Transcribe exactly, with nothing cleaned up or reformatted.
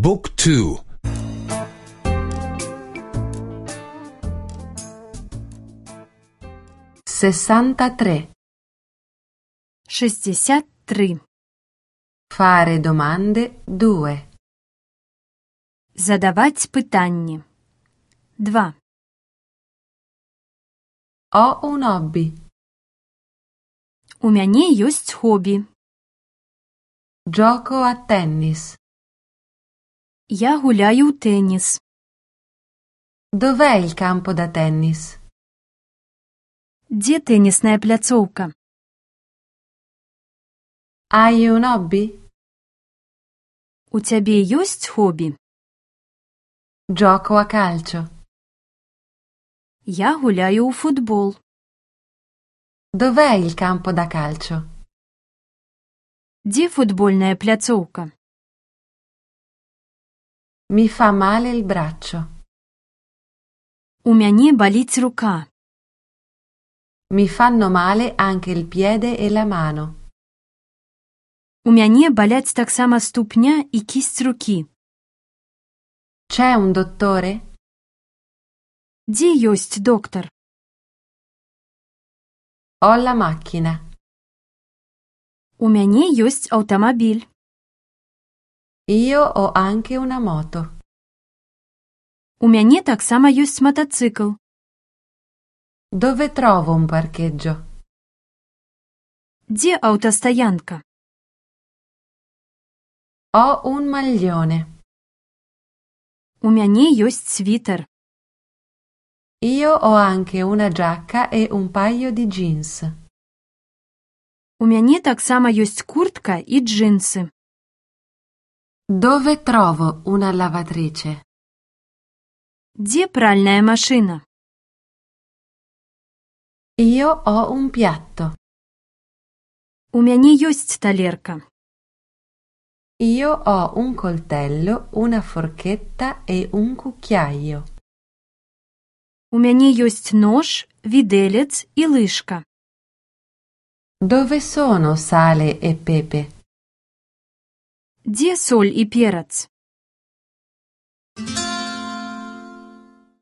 บุ๊กทูsessantatré шестьдесят три. Fare domande due. Задавать питання. два. Ho un hobby. У мяне ёсць хобі. Gioco a tennis. Я гуляю ў тэніс. Dov'è il campo da tennis? Дзе тэнісная пляцоўка? Hai un hobby? У цябе ёсць хобі? Gioco a calcio. Я гуляю ў футбол. Dov'è il campo da calcio? Дзе футбольная пляцоўка? Mi fa male il braccio. У мяне баліць рука. Mi fanno male anche il piede e la mano. У мяне баляць таксама ступня і кісць рукі. C'è un dottore? Дзе ёсць доктар? Ho la macchina. У мяне ёсць аўтамабіль. Io ho anche una moto. У мяне таксама ёсць матацыкл. Dove trovo un parcheggio? Дзе аўтастаянка? Ho un maglione. У мяне ёсць світар. Io ho anche una giacca e un paio di jeans. У мяне таксама ёсць куртка і джинсы. Dove trovo una lavatrice? Дзе пральная машына? Io ho un piatto. У мяне ёсць талерка. Io ho un coltello, una forchetta e un cucchiaio. У мяне ёсць нож, відэлец і лыжка. Dove sono sale e pepe? Дзе соль і перац?